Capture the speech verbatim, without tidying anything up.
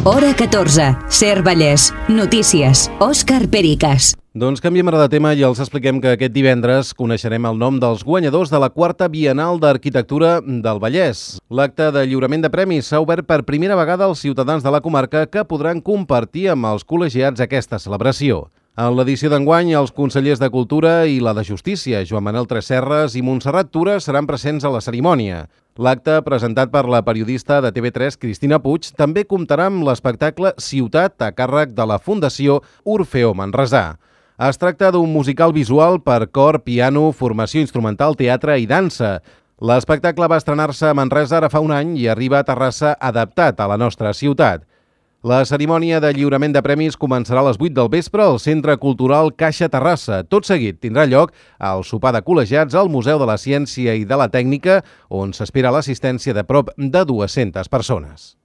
Hora catorze, Ser Vallès. Notícies. Òscar Pericas. Doncs canviem ara de tema i els expliquem que aquest divendres coneixerem el nom dels guanyadors de la quarta Bienal d'Arquitectura del Vallès. L'acte de lliurament de premis s'ha obert per primera vegada als ciutadans de la comarca que podran compartir amb els col·legiats aquesta celebració. En l'edició d'enguany, els consellers de Cultura i la de Justícia, Joan Manel Tresserras i Montserrat Tura, seran presents a la cerimònia. L'acte, presentat per la periodista de T V tres, Cristina Puig, també comptarà amb l'espectacle Ciutat a càrrec de la Fundació Orfeó Manresà. Es tracta d'un musical visual per cor, piano, formació instrumental, teatre i dansa. L'espectacle va estrenar-se a Manresa ara fa un any i arriba a Terrassa adaptat a la nostra ciutat. La cerimònia de lliurament de premis començarà a les vuit del vespre al Centre Cultural Caixa Terrassa. Tot seguit tindrà lloc el sopar de col·legiats al Museu de la Ciència i de la Tècnica, on s'espera l'assistència de prop de dues-centes persones.